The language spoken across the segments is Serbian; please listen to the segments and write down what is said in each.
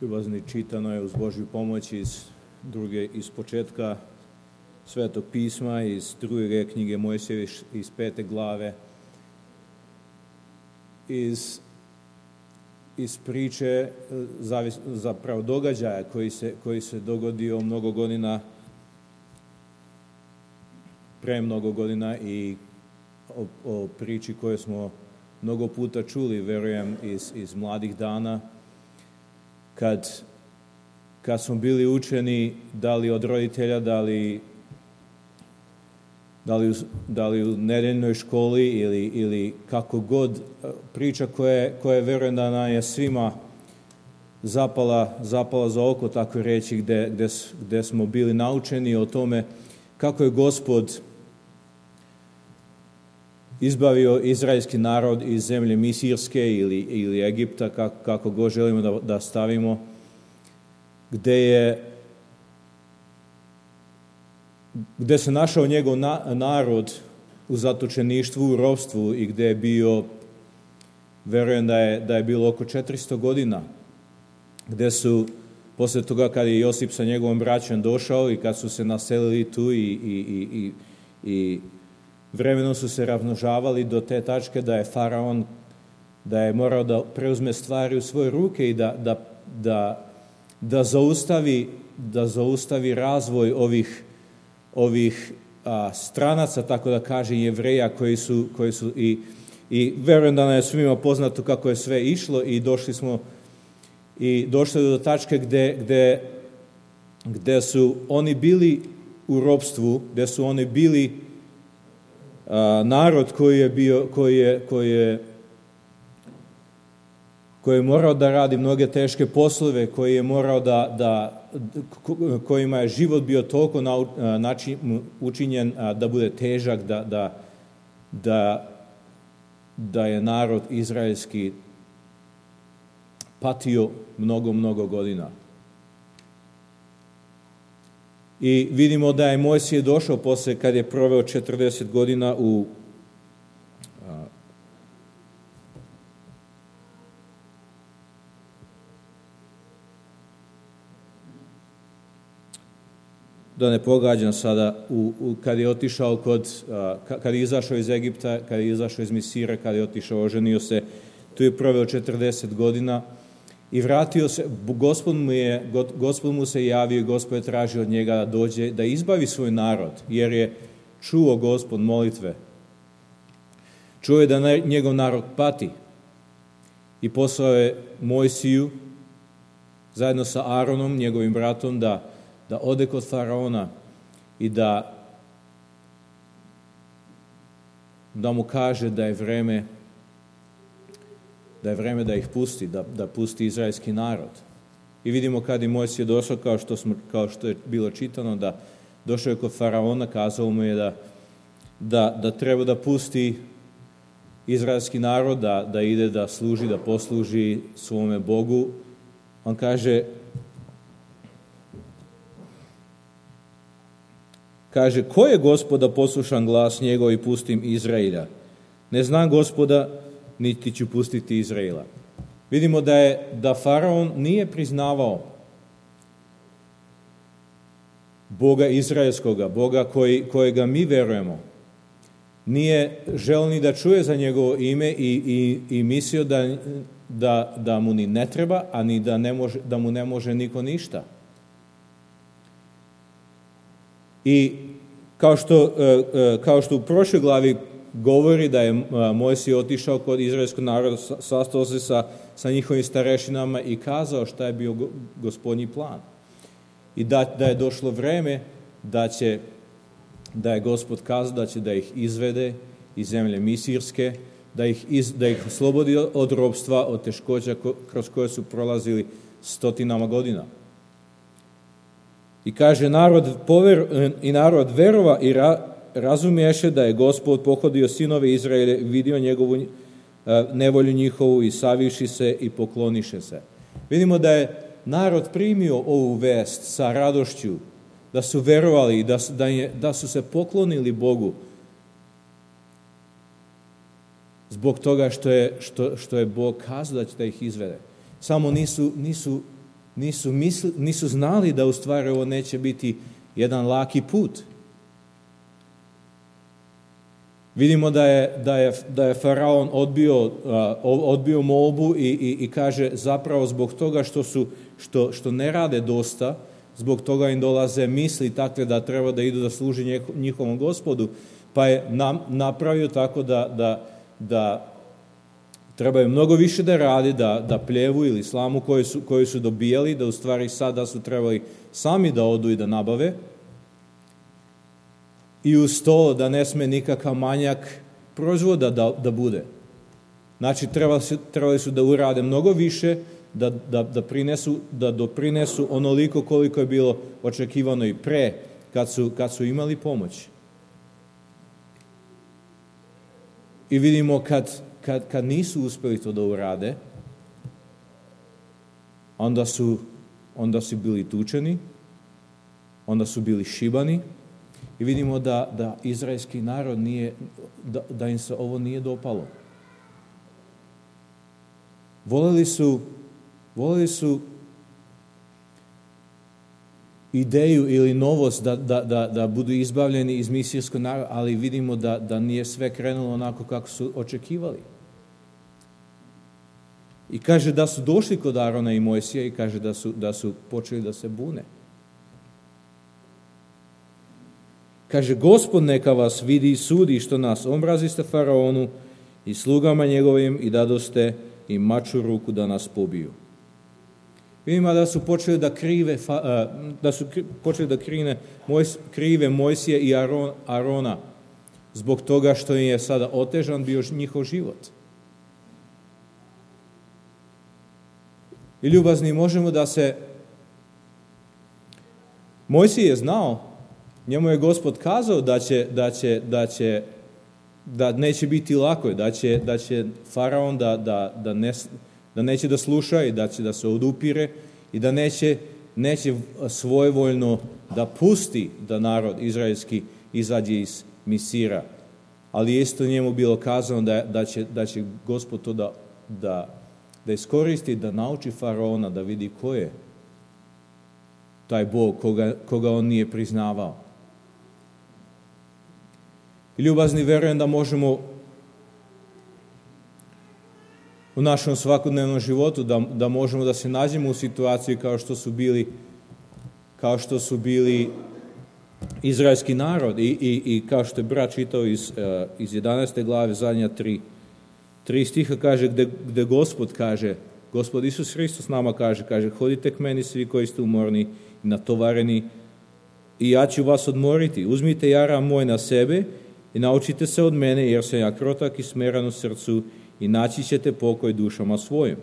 Ljubazni, čitano je uz Božju pomoć iz početka Svetog pisma, iz druge knjige Mojsijeve, iz 5. glave, iz priče zapravo događaja koji se dogodio pre mnogo godina i o priči koju smo mnogo puta čuli, verujem, iz mladih dana, kad smo bili učeni, da li od roditelja, da li u nedeljnoj školi ili kako god, priča koja verujem da nam je svima zapala za oko, tako reći, gde smo bili naučeni o tome kako je Gospod izbavio izraelski narod iz zemlje Misirske ili Egipta, kako god želimo da stavimo, gde se našao njegov narod u zatočeništvu, u ropstvu i gde je bio, verujem da je bilo oko 400 godina, gde su, posle toga kad je Josip sa njegovom braćom došao i kad su se naselili tu i vremenom su se razmnožavali do te tačke da je faraon, da je morao da preuzme stvari u svoje ruke i da zaustavi razvoj ovih stranaca, tako da kaže, Jevreja koji su i verujem da nam je svima poznato kako je sve išlo i došli do tačke gde su oni bili u ropstvu, gde su oni bili narod koji je morao da radi mnoge teške poslove, koji je morao kojima je život bio toliko učinjen da bude težak, da je narod izraelski patio mnogo godina. I vidimo da je Mojsije došao posle kad je proveo 40 godina da ne pogađam sada, kad je otišao kad je izašao iz Egipta, kad je izašao iz Misira, kad je otišao, oženio se, tu je proveo 40 godina i vratio se. Gospod mu se javio i Gospod je tražio od njega da dođe, da izbavi svoj narod, jer je čuo Gospod molitve. Čuo je da njegov narod pati i poslao je Mojsiju zajedno sa Aaronom, njegovim bratom, da ode kod faraona i da mu kaže da je vreme da ih pusti, da pusti izraelski narod. I vidimo kad je Mojsije došao, kao što je bilo čitano, da došao je kod faraona, kazao mu je da treba da pusti izraelski narod, da ide da služi, da posluži svome Bogu. On kaže, ko je Gospoda, poslušam glas njegov i pustim Izraela? Ne znam Gospoda, niti ću pustiti Izraela. Vidimo da faraon nije priznavao Boga izraelskoga, Boga kojega mi verujemo. Nije želeo ni da čuje za njegovo ime i mislio da mu ni ne treba, a ni da mu ne može niko ništa. I kao što u prošloj glavi govori da je Mojsije otišao kod izraelskog naroda, sastao se sa njihovim starešinama i kazao šta je bio Gospodnji plan. I da je došlo vreme da je Gospod kazao da će da ih izvede iz zemlje Misirske, da ih oslobodi od ropstva, od teškoća kroz koje su prolazili stotinama godina. I kaže, narod verova i razumiješe da je Gospod pohodio sinove Izraele, vidio njegovu nevolju njihovu i saviši se i pokloniše se. Vidimo da je narod primio ovu vest sa radošću, da su verovali, da su se poklonili Bogu. zbog toga što je Bog kazao da će da ih izvede. Samo nisu znali da u stvari ovo neće biti jedan laki put. Vidimo da je Faraon odbio molbu i kaže zapravo zbog toga što ne rade dosta, zbog toga im dolaze misli takve da treba da idu da služi njihovom Gospodu, pa je napravio tako da trebaju mnogo više da radi, da pljevu ili slamu koju su dobijali, da u stvari sada su trebali sami da odu i da nabave. I uz to da ne sme nikakav manjak proizvoda da bude. Znači, trebali su da urade mnogo više, da doprinesu onoliko koliko je bilo očekivano i pre, kad su imali pomoć. I vidimo kad nisu uspeli to da urade, onda su bili tučeni, onda su bili šibani, i vidimo da izraelski narod da im se ovo nije dopalo. Voleli su ideju ili novost da budu izbavljeni iz misijskog naroda, ali vidimo da nije sve krenulo onako kako su očekivali. I kaže da su došli kod Arona i Mojsija i kaže da su počeli da se bune. Kaže, Gospod neka vas vidi i sudi što nas omraziste Faraonu i slugama njegovim i dadoste im mač u ruku da nas pobiju. Vidimo da su počeli da krive Mojsije i Arona zbog toga što im je sada otežan bio njihov život. I ljubazni, možemo da se... Mojsije je znao, njemu je Gospod kazao da neće biti lako, da će Faraon da neće da sluša i da će da se odupire i da neće svojevoljno da pusti da narod izraelski izađe iz Misira. Ali je isto njemu bilo kazano da će Gospod to da iskoristi, da nauči Faraona da vidi ko je taj Bog koga on nije priznavao. I ljubazni, verujem da možemo u našem svakodnevnom životu, da možemo da se nađemo u situaciji kao što su bili izraelski narod i kao što je brat čitao iz 11. glave, zadnja 3 stiha kaže, gde Gospod kaže, Gospod Isus Hristos nama kaže, hodite k meni svi koji ste umorni i natovareni i ja ću vas odmoriti. Uzmite jaram moj na sebe i naučite se od mene, jer sam ja krotak i smeran u srcu i naći ćete pokoj dušama svojim,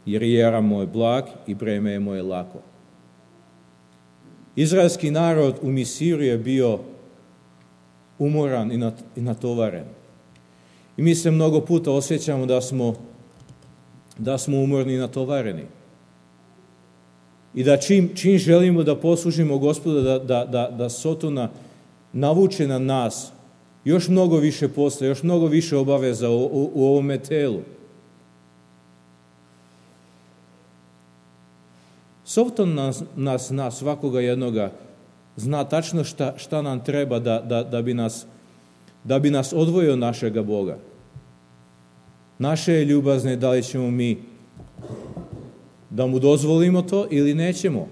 jer je jaram moj blag i breme je moje lako. Izraelski narod u Misiru je bio umoran i natovaren. I mi se mnogo puta osjećamo da smo umorni i natovareni. I da čim želimo da poslužimo Gospoda, da Sotona navuče na nas još mnogo više posla, još mnogo više obaveza u ovome telu. Soton nas svakoga jednoga zna tačno šta nam treba da bi nas odvojio od našega Boga. Naše je ljubazne da li ćemo mi da mu dozvolimo to ili nećemo.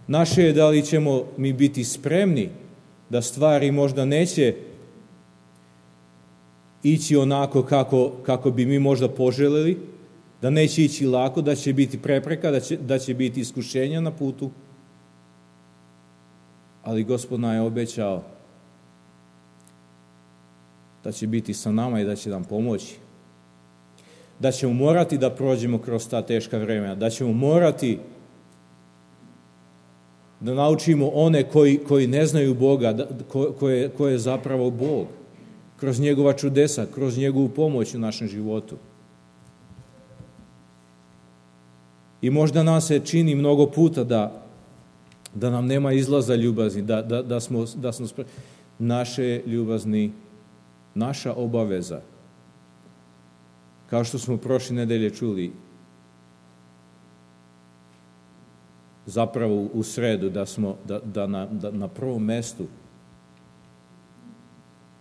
Naše je da li ćemo mi biti spremni da stvari možda neće ići onako kako bi mi možda poželjeli, da neće ići lako, da će biti prepreka, da će biti iskušenja na putu. Ali Gospod nam je obećao da će biti sa nama i da će nam pomoći. Da ćemo morati da prođemo kroz ta teška vremena, da ćemo morati da naučimo one koji ne znaju Boga, ko je zapravo Bog, kroz njegova čudesa, kroz njegovu pomoć u našem životu. I možda nam se čini mnogo puta da nam nema izlaza ljubazni, da smo spremni. Naše ljubazni, naša obaveza Kao što smo prošle nedelje čuli, zapravo u sredu, da na prvom mestu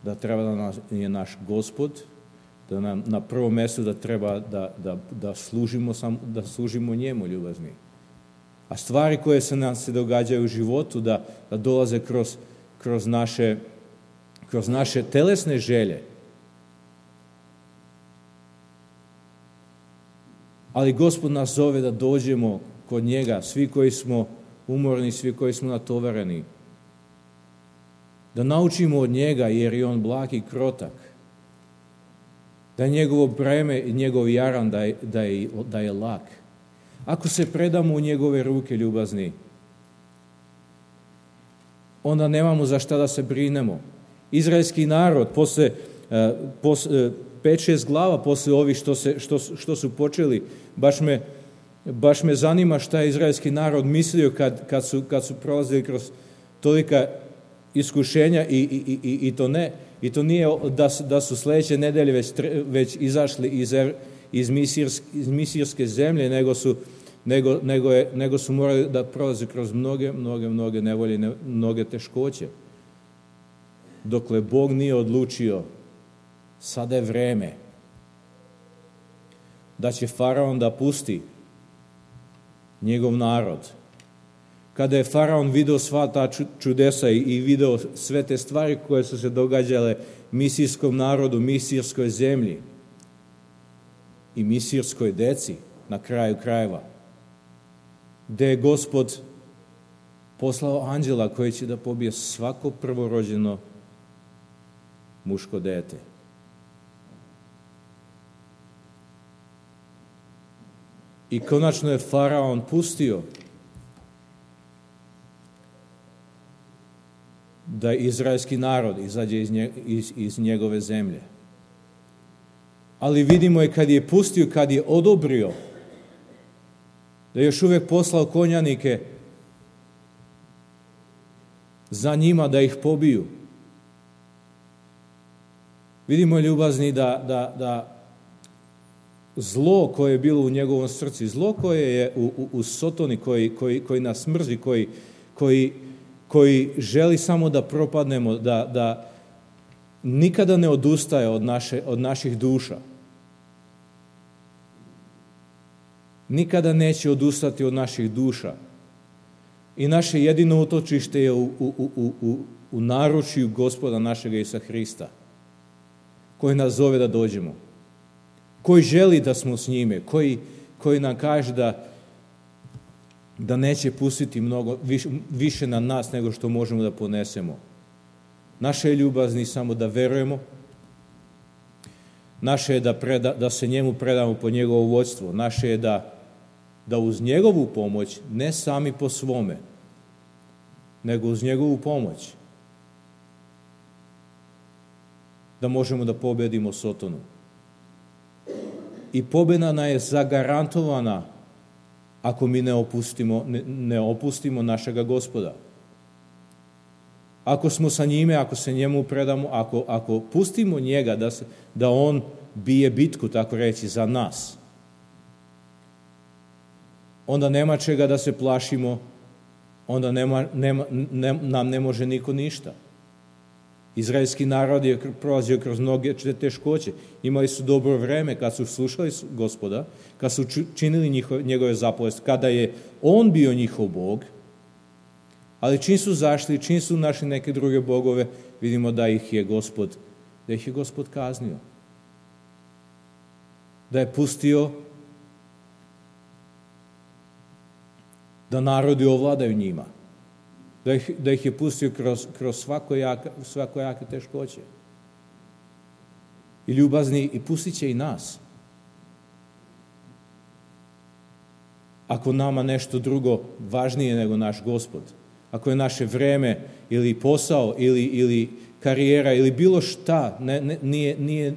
da treba da je naš Gospod, da nam na prvom mestu da treba da služimo njemu, ljubazni. A stvari koje se događaju u životu, da dolaze kroz naše telesne želje. Ali Gospod nas zove da dođemo kod njega, svi koji smo umorni, svi koji smo natovareni. Da naučimo od njega, jer je on blag i krotak. Da je njegovo breme i njegov jaran da je lak. Ako se predamo u njegove ruke, ljubazni, onda nemamo za šta da se brinemo. Izraelski narod, posle 5-6 glava, posle ovih što su počeli, baš me zanima šta je izraelski narod mislio kad su prolazili kroz tolika iskušenja i to nije da su sledeće nedelje već izašli iz misirske zemlje, nego su morali da prolaze kroz mnoge nevolje, mnoge teškoće. Dokle Bog nije odlučio, sada je vreme da će faraon da pusti njegov narod. Kada je faraon video sva ta čudesa i video sve te stvari koje su se događale misirskom narodu, misirskoj zemlji i misirskoj deci na kraju krajeva, gde je Gospod poslao anđela koji će da pobije svako prvorođeno muško dete. I konačno je faraon pustio da izraelski narod izađe iz njegove zemlje. Ali vidimo je kad je pustio, kad je odobrio, da je još uvijek poslao konjanike za njima da ih pobiju. Vidimo, ljubazni, da zlo koje je bilo u njegovom srcu, zlo koje je u Sotoni, koji nas mrzi, koji želi samo da propadnemo, da nikada ne odustaje od naših duša. Nikada neće odustati od naših duša. I naše jedino utočište je u naručju Gospoda našega Isusa Hrista, koji nas zove da dođemo, koji želi da smo s njime, koji nam kaže da neće pustiti mnogo više na nas nego što možemo da ponesemo. Naše je ljubazni samo da verujemo, naše je da se njemu predamo po njegovo vođstvo, naše je da uz njegovu pomoć, ne sami po svome, nego uz njegovu pomoć, da možemo da pobedimo Sotonu. I pobeda nam je zagarantovana ako mi ne opustimo našega Gospoda. Ako smo sa njime, ako se njemu predamo, ako pustimo njega da on bije bitku, tako reći, za nas, onda nema čega da se plašimo, onda nam ne može niko ništa. Izraelski narod je prolazio kroz mnoge teškoće. Imali su dobro vreme kad su slušali Gospoda, kad su činili njegove zapovesti, kada je on bio njihov Bog, ali čim su zašli, čim su našli neke druge bogove, vidimo da ih je Gospod kaznio. Da je pustio da narodi ovladaju njima. Da ih je pustio kroz svakojake teškoće. I ljubazni, i pustit će i nas. Ako nama nešto drugo važnije nego naš Gospod, ako je naše vreme ili posao ili karijera ili bilo šta,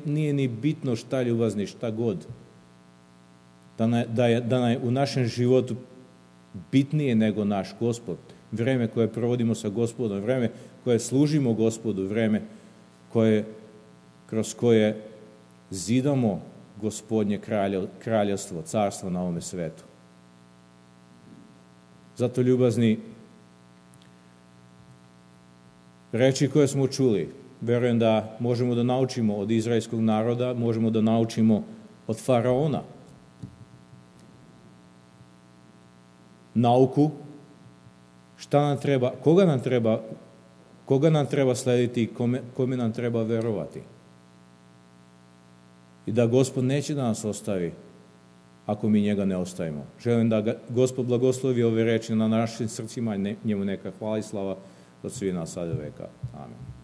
nije ni bitno šta, ljubazni, šta god, da je u našem životu bitnije nego naš Gospod, vreme koje provodimo sa Gospodom, vreme koje služimo Gospodu, vreme kroz koje zidamo Gospodnje kraljevstvo, carstvo na ovome svetu. Zato, ljubazni, reči koje smo čuli, verujem da možemo da naučimo od izraelskog naroda, možemo da naučimo od faraona. Nauku, šta nam treba, koga nam treba slediti i kome nam treba verovati. I da Gospod neće da nas ostavi ako mi njega ne ostavimo. Želim da Gospod blagoslovi ove reči na našim srcima i njemu neka hvala i slava od svih nas sada veka. Amen.